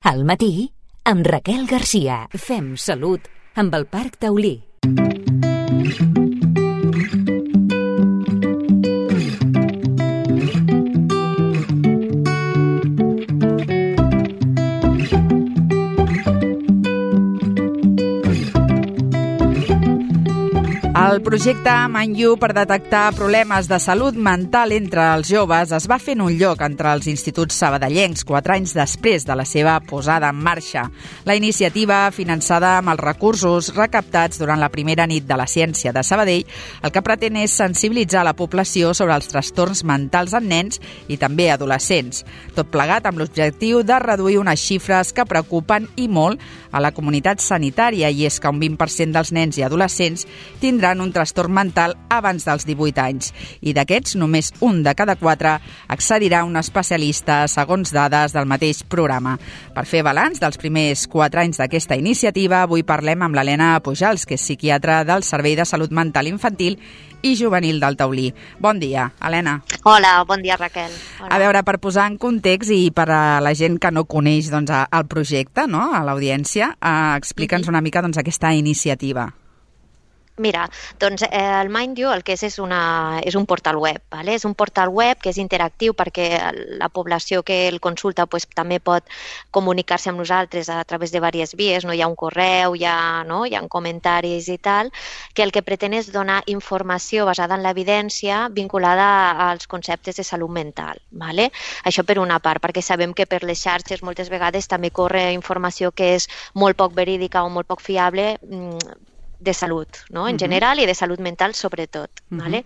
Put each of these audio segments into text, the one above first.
Al matí, amb Raquel Garcia. Fem salut amb el Parc Taulí. El projecte Manlleu per detectar problemes de salut mental entre els joves es va fer en un lloc entre els instituts sabadellencs 4 anys després de la seva posada en marxa. La iniciativa, finançada amb els recursos recaptats durant la primera nit de la ciència de Sabadell, el que pretén és sensibilitzar la població sobre els trastorns mentals en nens i també adolescents. Tot plegat amb l'objectiu de reduir unes xifres que preocupen i molt a la comunitat sanitària, i és que un 20% dels nens i adolescents tindran un trastorn mental abans dels 18 anys. I d'aquests, només un de cada 4 accedirà a un especialista, segons dades del mateix programa. Per fer balanç dels primers 4 anys d'aquesta iniciativa, avui parlem amb l'Helena Pujals, que és psiquiatra del Servei de Salut Mental Infantil i Juvenil del Taulí. Bon dia, Helena. Hola, bon dia, Raquel. Hola. A veure, per posar en context i per a la gent que no coneix el projecte, no, a l'audiència, explica'ns una mica aquesta iniciativa. Mira, doncs el Manlleu el que és un portal web, ¿vale? És un portal web que és interactiu perquè la població que el consulta pues, també pot comunicar-se amb nosaltres a través de diverses vies, no? Hi ha un correu, hi ha comentaris i tal, que el que pretén és donar informació basada en l'evidència vinculada als conceptes de salut mental, ¿vale? Això per una part, perquè sabem que per les xarxes moltes vegades també corre informació que és molt poc verídica o molt poc fiable de salut, no? En general, i de salut mental sobretot. ¿Vale?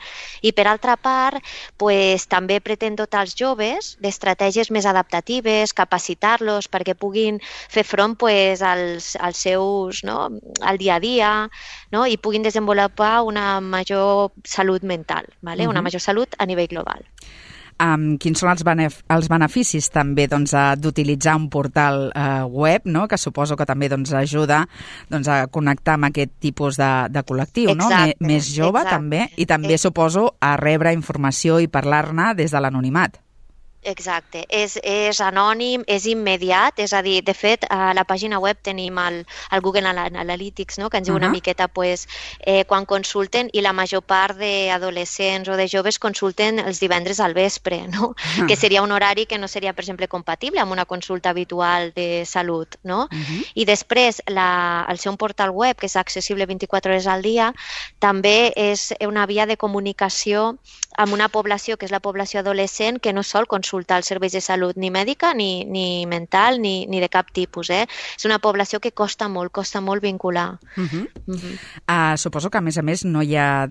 I per altra part, pues, també pretén dotar els joves d'estratègies més adaptatives, capacitar-los perquè puguin fer front pues, als seus, no? Al dia a dia, no? I puguin desenvolupar una major salut mental, ¿vale? Una major salut a nivell global. Quins són els beneficis també d'utilitzar un portal web, no? Que suposo que també ajuda a connectar amb aquest tipus de col·lectiu, no? Més jove també, i també suposo a rebre informació i parlar-ne des de l'anonimat. Exacte, és anònim, és immediat, és a dir, de fet, a la pàgina web tenim el Google Analytics, no? Que ens diu una miqueta pues, quan consulten, i la major part d'adolescents o de joves consulten els divendres al vespre, no? Que seria un horari que no seria, per exemple, compatible amb una consulta habitual de salut, no? I després, el seu portal web, que és accessible 24 hores al dia, també és una via de comunicació amb una població, que és la població adolescent, que no sol consultar els serveis de salut ni mèdica, ni mental, ni de cap tipus. És una població que costa molt vincular. Suposo que, a més, no hi ha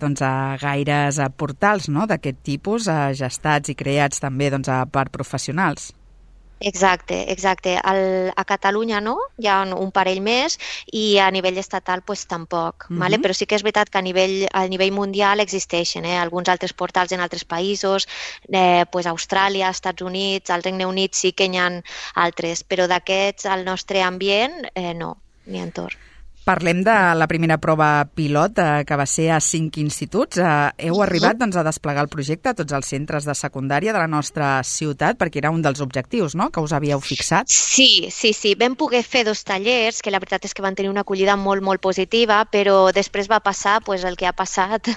gaires portals, no?, d'aquest tipus, gestats i creats també per professionals. Exacte. A Catalunya no, hi ha un parell més, i a nivell estatal pues, tampoc. ¿Vale? Però sí que és veritat que a nivell mundial existeixen alguns altres portals en altres països, pues, Austràlia, Estats Units, al Regne Unit sí que n'hi ha altres, però d'aquests al nostre ambient no, ni entorn. Parlem de la primera prova pilot, que va ser a 5 instituts. Heu arribat a desplegar el projecte a tots els centres de secundària de la nostra ciutat, perquè era un dels objectius, no?, que us havíeu fixat. Sí. Vam poder fer 2 tallers, que la veritat és que van tenir una acollida molt positiva, però després va passar pues, el que ha passat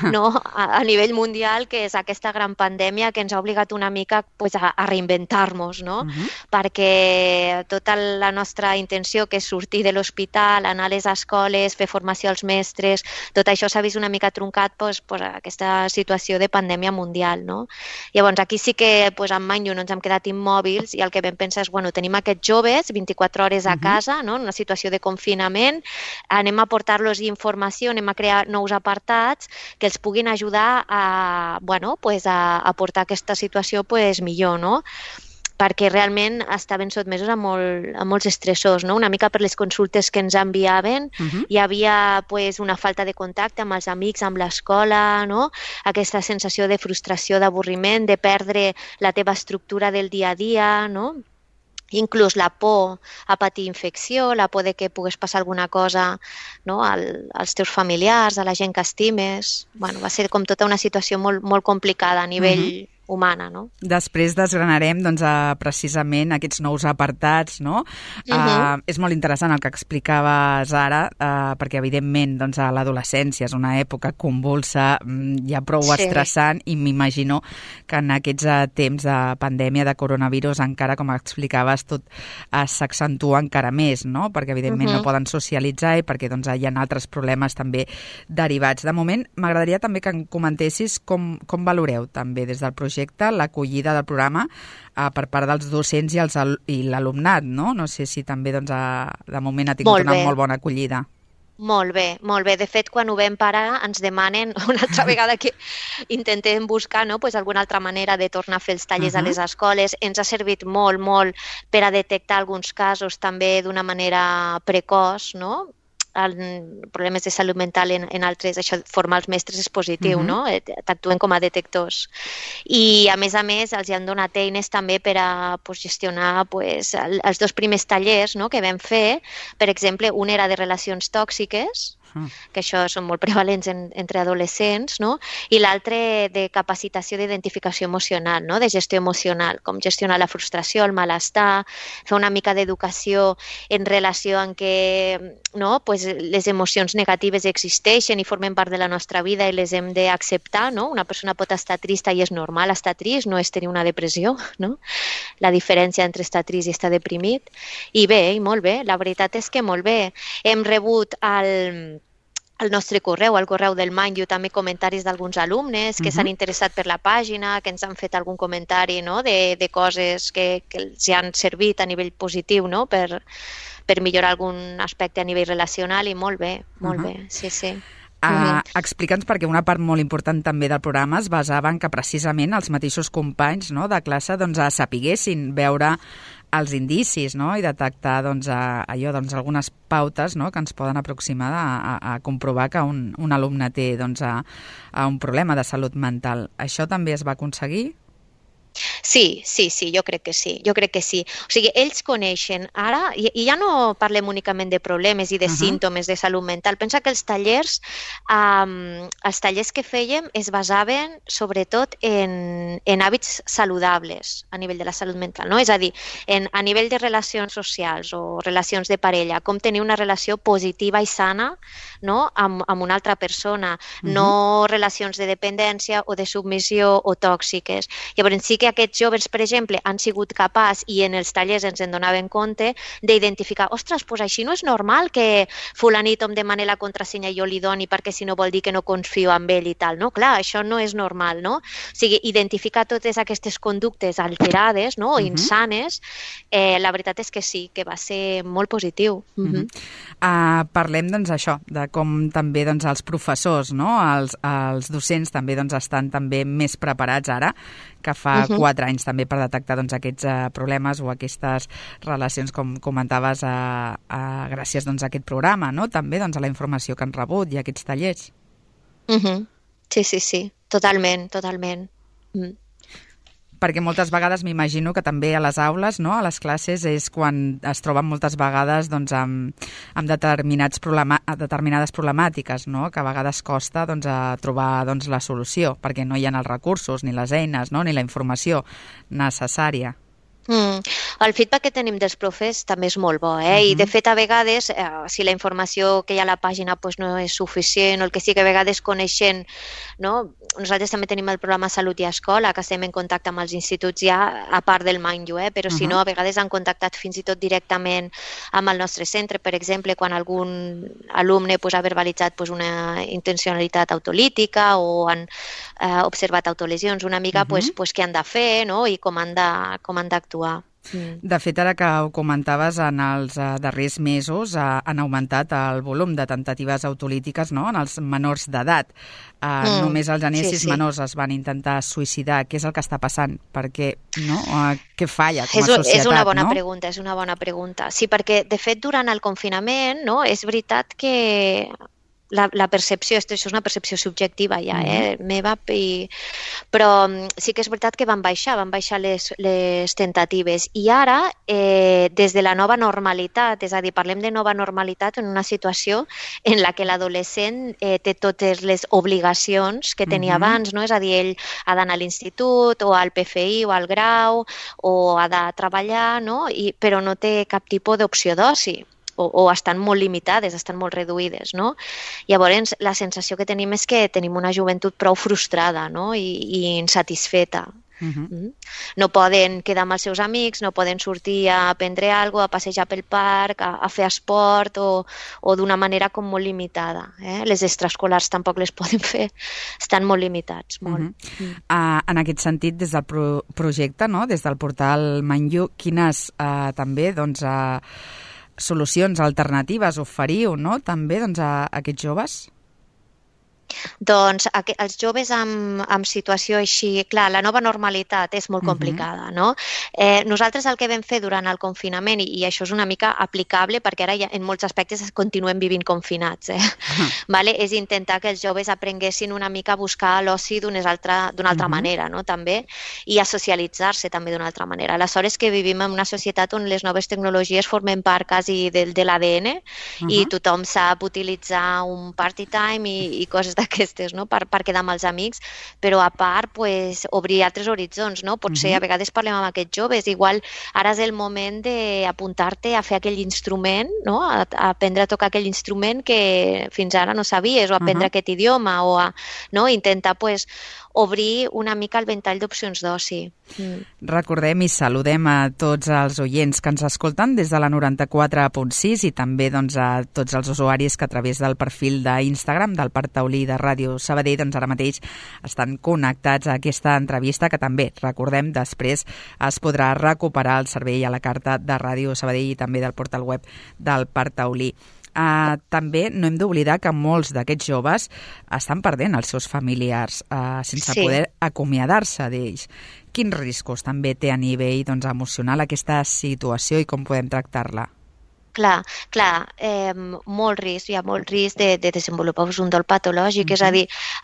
no? a nivell mundial, que és aquesta gran pandèmia que ens ha obligat una mica pues, a reinventar-nos, no? Perquè tota la nostra intenció, que és sortir de l'hospital, anar a les escoles, fer formació als mestres, tot això s'ha vist una mica truncat per aquesta situació de pandèmia mundial, no? Llavors, aquí sí que en Manlleu no ens hem quedat immòbils, i el que vam pensar és, tenim aquests joves 24 hores a casa, no? En una situació de confinament, anem a portar-los informació, anem a crear nous apartats que els puguin ajudar a portar aquesta situació millor, no? Perquè realment estaven sotmesos a molts estressors, no? Una mica per les consultes que ens enviaven, hi havia pues, una falta de contacte amb els amics, amb l'escola, no? Aquesta sensació de frustració, d'avorriment, de perdre la teva estructura del dia a dia, no? Inclús la por a patir infecció, la por de que pogués passar alguna cosa, no? als teus familiars, a la gent que estimes. Va ser com tota una situació molt complicada a nivell humana, no? Després desgranarem doncs, precisament aquests nous apartats, no? És molt interessant el que explicaves ara, perquè evidentment doncs, l'adolescència és una època convulsa, ja prou estressant, i m'imagino que en aquests temps de pandèmia, de coronavirus, encara, com explicaves, tot s'accentua encara més, no? Perquè evidentment no poden socialitzar i perquè doncs, hi ha altres problemes també derivats. De moment, m'agradaria també que em comentessis com valoreu també des del projecte l'acollida del programa per part dels docents i l'alumnat, no? No sé si també doncs, de moment ha tingut una molt bona acollida. Molt bé, molt bé. De fet, quan ho vam parar, ens demanen una altra vegada que intentem buscar, no, pues, alguna altra manera de tornar a fer els tallers a les escoles. Ens ha servit molt, molt per a detectar alguns casos també d'una manera precoç, no? Problemes de salut mental en altres, això, formar els mestres és positiu, no? T'actuen com a detectors. I, a més, els han donat eines també per a gestionar els 2 primers tallers, no?, que vam fer. Per exemple, un era de relacions tòxiques, que això són molt prevalents entre adolescents, no? I l'altre de capacitació d'identificació emocional, no? De gestió emocional, com gestionar la frustració, el malestar, fer una mica d'educació en relació amb que, no, pues, les emocions negatives existeixen i formen part de la nostra vida i les hem d'acceptar, no? Una persona pot estar trista i és normal estar trist, no és tenir una depressió, no? La diferència entre estar trist i estar deprimit. I bé, i molt bé, la veritat és que molt bé. Hem rebut al nostre correu, al correu del Manyu, també comentaris d'alguns alumnes que s'han interessat per la pàgina, que ens han fet algun comentari, no?, de coses que els han servit a nivell positiu, no?, per millorar algun aspecte a nivell relacional, i molt bé, sí. Explica'ns, perquè una part molt important també del programa es basava en que precisament els mateixos companys, no?, de classe doncs, sapiguessin veure els indicis, no?, i detectar doncs, algunes pautes, no?, que ens poden aproximar a comprovar que un alumne té doncs, un problema de salut mental. Això també es va aconseguir? Sí, jo crec que sí. O sigui, ells coneixen ara, i ja no parlem únicament de problemes i de símptomes de salut mental. Pensa que els tallers que fèiem es basaven sobretot en hàbits saludables a nivell de la salut mental, no? És a dir, a nivell de relacions socials o relacions de parella, com tenir una relació positiva i sana, no?, amb una altra persona, no relacions de dependència o de submissió o tòxiques. Llavors sí que aquests joves, per exemple, han sigut capaços, i en els tallers ens en donaven compte, d'identificar, ostres, doncs així no és normal que fulanit em demani la contrasenya i jo li doni, perquè si no vol dir que no confio en ell i tal, no? Clar, això no és normal, no? O sigui, identificar totes aquestes conductes alterades, no?, o insanes, la veritat és que sí, que va ser molt positiu. Parlem, doncs, això, de com també doncs, els professors, no?, els docents també doncs, estan també més preparats ara, que fa 4 anys també, per detectar doncs, aquests problemes o aquestes relacions, com comentaves, gràcies doncs, a aquest programa, no?, també doncs, a la informació que han rebut i a aquests tallers. Sí, totalment. Perquè moltes vegades m'imagino que també a les aules, no?, a les classes, és quan es troben moltes vegades doncs, amb determinades problemàtiques, no?, que a vegades costa doncs, trobar doncs, la solució, perquè no hi ha els recursos, ni les eines, no?, ni la informació necessària. El feedback que tenim dels profes també és molt bo, i de fet a vegades, si la informació que hi ha a la pàgina no és suficient, o el que sí que a vegades coneixent, no? Nosaltres també tenim el programa Salut i Escola, que estem en contacte amb els instituts ja, a part del Manyu, però si no, a vegades han contactat fins i tot directament amb el nostre centre, per exemple, quan algun alumne ha verbalitzat una intencionalitat autolítica o han observat autolesions, una mica què han de fer, no?, i com han d'actuar. De fet, ara que ho comentaves, en els darrers mesos han augmentat el volum de temptatives autolítiques, no?, en els menors d'edat. Només els anesis menors es van intentar suïcidar. Què és el que està passant? Perquè, no? Què falla com a societat? És una bona pregunta. Sí, perquè, de fet, durant el confinament, no?, és veritat que la percepció, això és una percepció subjectiva ja, meva, però sí que és veritat que van baixar les temptatives. I ara, des de la nova normalitat, és a dir, parlem de nova normalitat en una situació en la que l'adolescent té totes les obligacions que tenia abans, no? És a dir, ell ha d'anar a l'institut o al PFI o al grau o ha de treballar, no? Però no té cap tipus d'opció d'oci. O estan molt limitades, estan molt reduïdes, no? Llavors, la sensació que tenim és que tenim una joventut prou frustrada, no? I insatisfeta. No poden quedar amb els seus amics, no poden sortir a prendre alguna cosa, a passejar pel parc, a fer esport o d'una manera com molt limitada. Les extraescolars tampoc les poden fer, estan molt limitats. Molt. En aquest sentit, des del projecte, no? Des del portal Manlleu, quines també solucions alternatives oferiu, no? També a aquests joves? Doncs els joves amb situació així, clar, la nova normalitat és molt complicada, no? Nosaltres el que vam fer durant el confinament, i això és una mica aplicable perquè ara ja en molts aspectes continuem vivint confinats, vale? És intentar que els joves aprenguessin una mica a buscar l'oci d'una altra manera, no? També, i a socialitzar-se també d'una altra manera. Aleshores que vivim en una societat on les noves tecnologies formen part quasi de l'ADN i tothom sap utilitzar un party time i coses d'aquestes, no? Per quedar amb els amics, però a part obrir altres horitzons, no? Potser a vegades parlem amb aquests joves, igual ara és el moment d'apuntar-te a fer aquell instrument, no? A aprendre a tocar aquell instrument que fins ara no sabies, o aprendre aquest idioma, o a intentar obrir una mica el ventall d'opcions d'oci. Recordem i saludem a tots els oients que ens escolten des de la 94.6 i també a tots els usuaris que a través del perfil d'Instagram del Parc Taulí de Ràdio Sabadell ara mateix estan connectats a aquesta entrevista que també, recordem, després es podrà recuperar el servei a la carta de Ràdio Sabadell i també del portal web del Parc Taulí. També no hem d'oblidar que molts d'aquests joves estan perdent els seus familiars sense poder acomiadar-se d'ells. Quins riscos també té a nivell emocional aquesta situació i com podem tractar-la? Clar, molt risc, hi ha molt risc de desenvolupar un dol patològic, és a dir,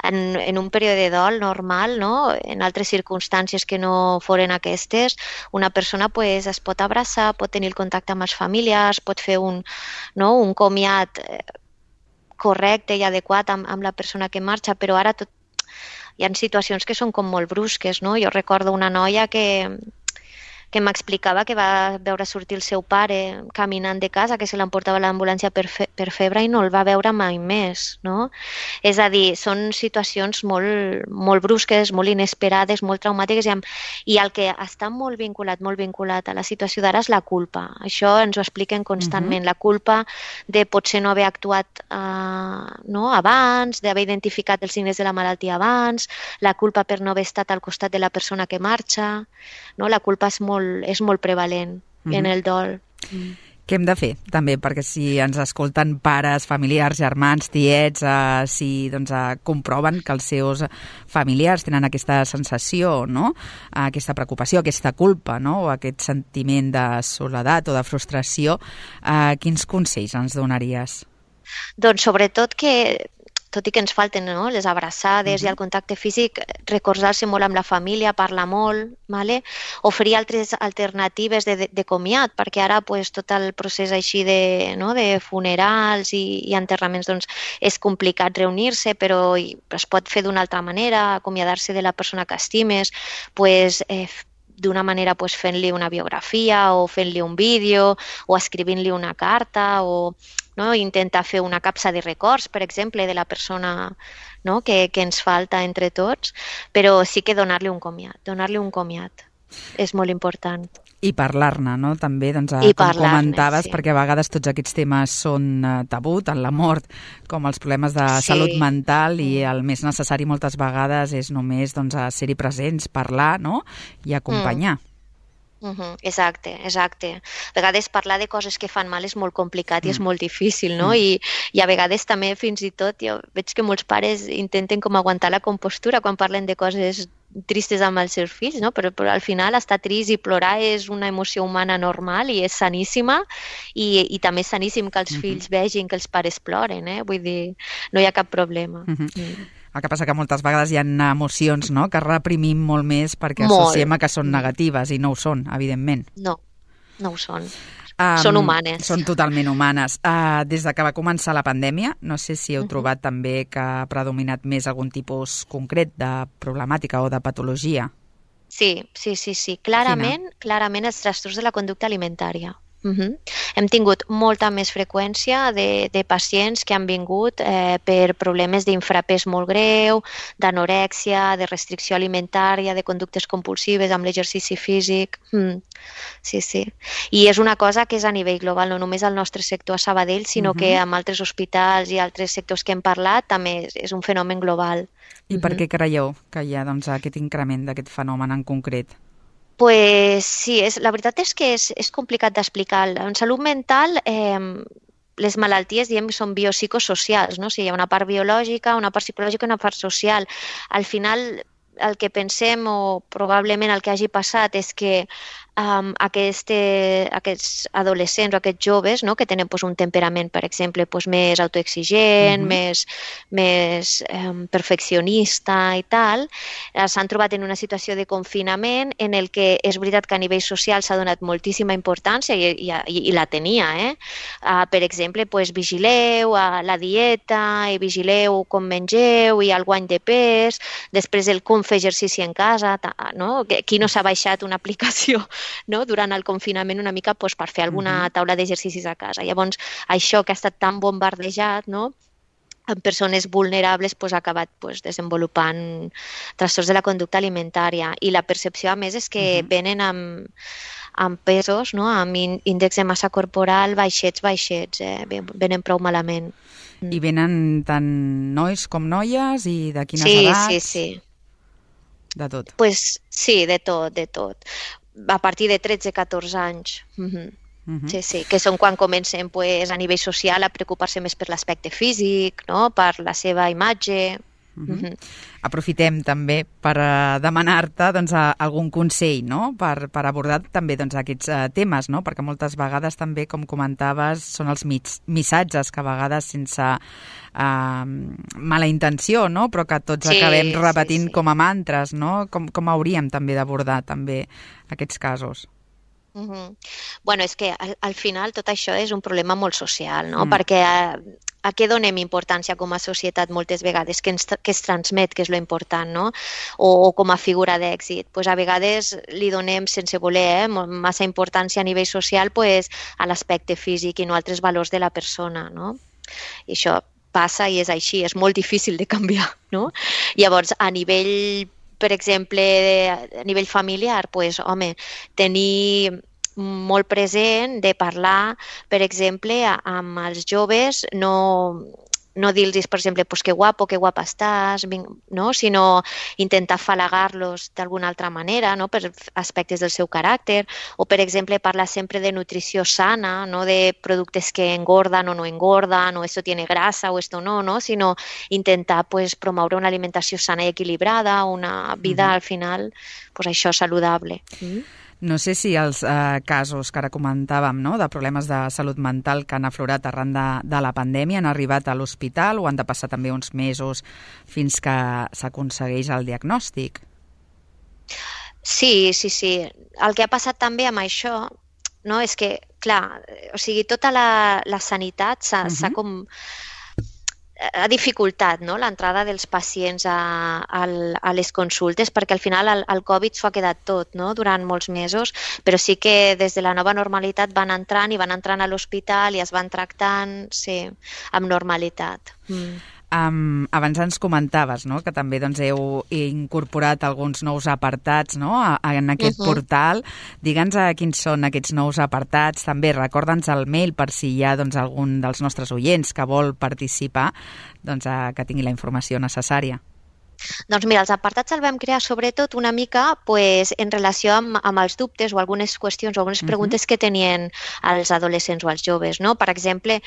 en un període de dol normal, no? En altres circumstàncies que no foren aquestes, una persona es pot abraçar, pot tenir el contacte amb els familiars, pot fer un comiat correcte i adequat amb la persona que marxa, però ara hi ha situacions que són com molt brusques, no? Jo recordo una noia que m'explicava que va veure sortir el seu pare caminant de casa, que se l'emportava a l'ambulància per febre i no el va veure mai més, no? És a dir, són situacions molt brusques, molt inesperades, molt traumàtiques i el que està molt vinculat a la situació d'ara és la culpa. Això ens ho expliquen constantment, la culpa de potser no haver actuat abans, d'haver identificat els signes de la malaltia abans, la culpa per no haver estat al costat de la persona que marxa, no? La culpa és molt prevalent en el dol. Què hem de fer, també? Perquè si ens escolten pares, familiars, germans, tiets, si comproven que els seus familiars tenen aquesta sensació, no? Aquesta preocupació, aquesta culpa, no? O aquest sentiment de soledat o de frustració, quins consells ens donaries? Doncs sobretot que tot i que ens falten les abraçades i el contacte físic, recordar-se molt amb la família, parlar molt, oferir altres alternatives de comiat, perquè ara tot el procés així de funerals i enterraments és complicat reunir-se, però es pot fer d'una altra manera, acomiadar-se de la persona que estimes, d'una manera fent-li una biografia o fent-li un vídeo o escrivint-li una carta o intentar fer una capsa de records, per exemple, de la persona que ens falta entre tots, però sí que donar-li un comiat. És molt important. I parlar-ne, no? També, com comentaves, perquè a vegades tots aquests temes són tabú, tant la mort com els problemes de salut mental, i el més necessari moltes vegades és només ser-hi presents, parlar, no? I acompanyar. Exacte. A vegades parlar de coses que fan mal és molt complicat i és molt difícil, no? I a vegades també, fins i tot, jo veig que molts pares intenten com aguantar la compostura quan parlen de coses tristes amb els seus fills, no? Però al final estar trist i plorar és una emoció humana normal i és saníssima i també és saníssim que els fills vegin que els pares ploren, Vull dir, no hi ha cap problema. El que passa que moltes vegades hi ha emocions, no?, que reprimim molt més perquè associem a que són negatives i no ho són, evidentment. No ho són. Són humanes. Són totalment humanes. Des de que va començar la pandèmia, no sé si heu trobat també que ha predominat més algun tipus concret de problemàtica o de patologia. Sí. Clarament els trastorns de la conducta alimentària. Hem tingut molta més freqüència de pacients que han vingut per problemes d'infrapès molt greu, d'anorèxia, de restricció alimentària, de conductes compulsives amb l'exercici físic. Sí. I és una cosa que és a nivell global, no només al nostre sector a Sabadell, sinó que amb altres hospitals i altres sectors que hem parlat també és un fenomen global. I per què creieu que hi ha aquest increment d'aquest fenomen en concret? Pues sí, la veritat és que és complicat d'explicar. En salut mental, les malalties, diem, són biopsicosocials, no? O sigui, hi ha una part biològica, una part psicològica i una part social. Al final, el que pensem, o probablement el que hagi passat, és que aquests adolescents o aquests joves, no?, que tenen un temperament, per exemple, més autoexigent, més perfeccionista i tal, s'han trobat en una situació de confinament en el que és veritat que a nivell social s'ha donat moltíssima importància i la tenia. Per exemple, vigileu la dieta i vigileu com mengeu i el guany de pes, després el com fer exercici en casa, no? Qui no s'ha baixat una aplicació, no?, durant el confinament una mica per fer alguna taula d'exercicis a casa. Llavors, això que ha estat tan bombardejat, no?, en persones vulnerables ha acabat desenvolupant trastorns de la conducta alimentària. I la percepció, a més, és que venen amb pesos, no?, amb índex de massa corporal baixets, venen prou malament. I venen tant nois com noies i de quines edats? Sí. De tot? Sí, de tot. A partir de 13-14 anys. Sí, que són quan comencen a nivell social a preocupar-se més per l'aspecte físic, no?, per la seva imatge. Aprofitem també per demanar-te algun consell, no?, per abordar també aquests temes, no?, perquè moltes vegades també, com comentaves, són els missatges que a vegades sense mala intenció, no?, però que tots acabem repetint com a mantres, no? Com hauríem també d'abordar també aquests casos? Bueno, és que al final tot això és un problema molt social, no? Perquè a què donem importància com a societat moltes vegades, que es transmet, que és lo important, no? O com a figura d'èxit. A vegades li donem, sense voler, massa importància a nivell social a l'aspecte físic i no a altres valors de la persona, no? I això passa i és així, és molt difícil de canviar, no? Llavors, a nivell, per exemple, a nivell familiar, tenir molt present de parlar, per exemple, amb els joves, no dir-los, per exemple, que guapo, que guapa estàs, no? Sinó intentar afalagar-los d'alguna altra manera, no?, per aspectes del seu caràcter, o, per exemple, parlar sempre de nutrició sana, no de productes que engordan o no engordan, o esto tiene grasa o esto no, sinó intentar promoure una alimentació sana i equilibrada, una vida, al final, això, saludable. No sé si els casos que ara comentàvem, no?, de problemes de salut mental que han aflorat arran de la pandèmia han arribat a l'hospital o han de passar també uns mesos fins que s'aconsegueix el diagnòstic? Sí. El que ha passat també amb això, no?, és que, clar, tota la sanitat s'ha dificultat, no?, l'entrada dels pacients a les consultes, perquè al final el Covid s'ho ha quedat tot, no?, durant molts mesos, però sí que des de la nova normalitat van entrant a l'hospital i es van tractant, amb normalitat. Abans ens comentaves, no?, que també heu incorporat alguns nous apartats, no?, en aquest portal. Digue'ns quins són aquests nous apartats. També recorda'ns el mail per si hi ha algun dels nostres oients que vol participar, que tingui la informació necessària. Doncs mira, els apartats el vam crear sobretot una mica en relació amb els dubtes o algunes qüestions o algunes preguntes que tenien els adolescents o els joves, no? Per exemple,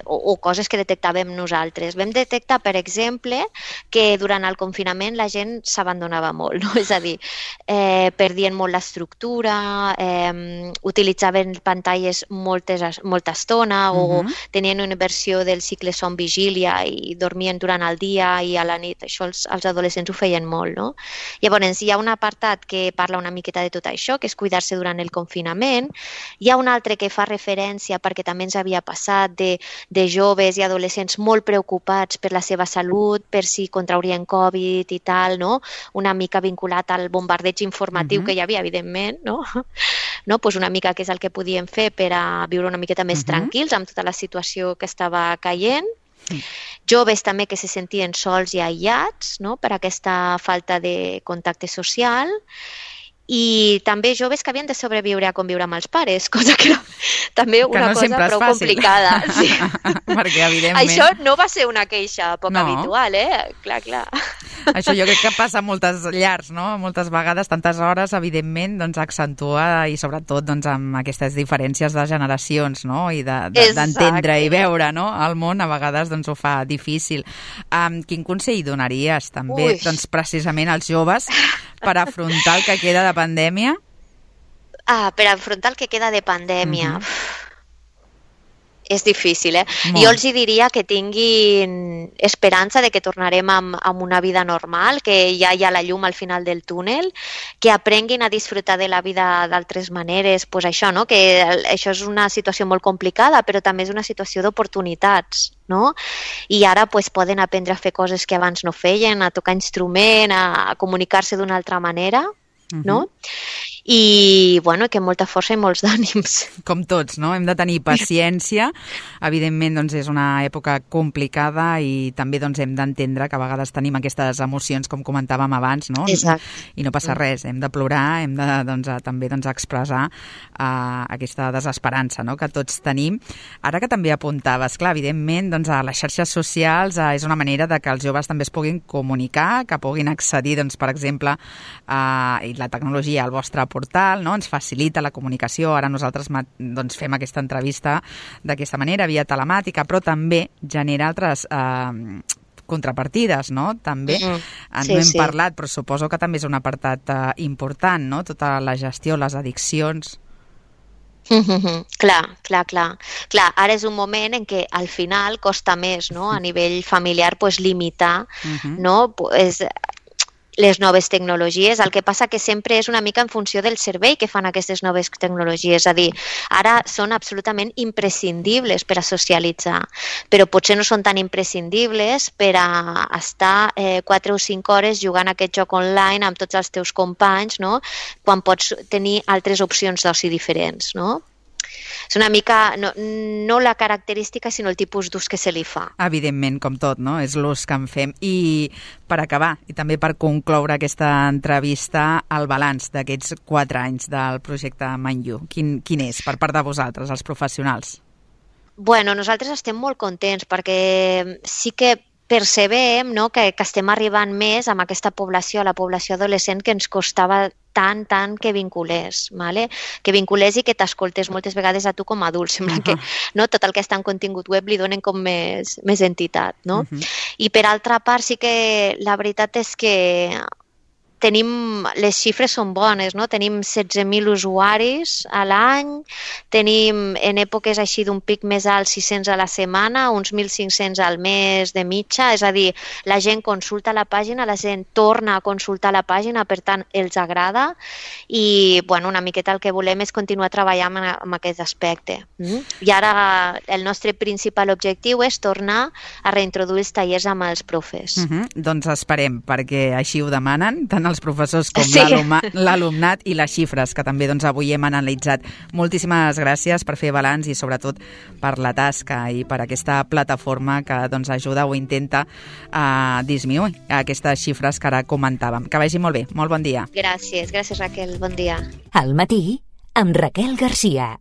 o coses que detectàvem nosaltres. Vam detectar, per exemple, que durant el confinament la gent s'abandonava molt, no? És a dir, perdien molt l'estructura, utilitzaven pantalles molta estona o tenien una versió del cicle son-vigília i dormien durant el dia i a la nit. Això els adolescents ho feien molt, no? Llavors, hi ha un apartat que parla una miqueta de tot això, que és cuidar-se durant el confinament. Hi ha un altre que fa referència, perquè també ens havia passat, de joves i adolescents molt preocupats per la seva salut, per si contraurien Covid i tal, no? Una mica vinculat al bombardeig informatiu que hi havia, evidentment, no? Pues una mica què és el que podíem fer per a viure una miqueta més tranquils amb tota la situació que estava caient. Joves també que se sentien sols i aïllats, no? Per aquesta falta de contacte social, i també joves que havien de sobreviure a conviure amb els pares, cosa que era també una cosa prou complicada. Sí. Perquè, evidentment... Això no va ser una queixa poc habitual, Clar. Això jo crec que passa a moltes llars, no? Moltes vegades, tantes hores, evidentment, doncs accentua, i sobretot doncs, amb aquestes diferències de generacions, no? I d'entendre i veure, no? El món a vegades doncs, ho fa difícil. Quin consell donaries també doncs, precisament als joves per afrontar el que queda de pandèmia? Per afrontar el que queda de pandèmia... És difícil, Jo els diria que tinguin esperança de que tornarem amb una vida normal, que ja hi ha la llum al final del túnel, que aprenguin a disfrutar de la vida d'altres maneres, això, no? Que això és una situació molt complicada, però també és una situació d'oportunitats, no? I ara poden aprendre a fer coses que abans no feien, a tocar instrument, a comunicar-se d'una altra manera, no? I, que molta força i molts d'ànims. Com tots, no? Hem de tenir paciència. Evidentment, doncs, és una època complicada i també doncs, hem d'entendre que a vegades tenim aquestes emocions, com comentàvem abans, no? Exacte. I no passa res. Hem de plorar, hem de també expressar aquesta desesperança, no? Que tots tenim. Ara que també apuntaves, clar, evidentment, doncs, a les xarxes socials és una manera de que els joves també es puguin comunicar, que puguin accedir, doncs, per exemple, i la tecnologia al vostre portal, no? Ens facilita la comunicació. Ara nosaltres doncs, fem aquesta entrevista d'aquesta manera, via telemàtica, però també genera altres contrapartides, no? També no hem parlat, però suposo que també és un apartat important, no? Tota la gestió, les addiccions... Clar. Ara és un moment en què al final costa més, no? A nivell familiar, limitar, no? Les noves tecnologies. El que passa que sempre és una mica en funció del servei que fan aquestes noves tecnologies. És a dir, ara són absolutament imprescindibles per a socialitzar, però potser no són tan imprescindibles per a estar 4 o 5 hores jugant a aquest joc online amb tots els teus companys, no? Quan pots tenir altres opcions d'oci diferents, no? És una mica, no la característica, sinó el tipus d'ús que se li fa. Evidentment, com tot, no? És l'ús que en fem. I per acabar, i també per concloure aquesta entrevista, el balanç d'aquests 4 anys del projecte Manlleu, quin és per part de vosaltres, els professionals? Nosaltres estem molt contents perquè sí que percebem, no, que estem arribant més amb aquesta població, a la població adolescent, que ens costava tant que vinculés, ¿vale? Que vinculés i que t'escoltés moltes vegades a tu com a adult. Sembla que tot el que està en contingut web li donen com més entitat, no? I per altra part sí que la veritat és que les xifres són bones, no? Tenim 16.000 usuaris a l'any, tenim en èpoques així d'un pic més alt 600 a la setmana, uns 1.500 al mes de mitja, és a dir, la gent consulta la pàgina, la gent torna a consultar la pàgina, per tant, els agrada i, una miqueta el que volem és continuar treballant en aquest aspecte. I ara el nostre principal objectiu és tornar a reintroduir els tallers amb els profes. Doncs esperem, perquè així ho demanen, tant els professors com l'alumnat i les xifres que també avui hem analitzat. Moltíssimes gràcies per fer balanç i sobretot per la tasca i per aquesta plataforma que ajuda o intenta disminuir aquestes xifres que ara comentàvem. Que vagi molt bé. Molt bon dia. Gràcies Raquel. Bon dia. Al matí amb Raquel Garcia.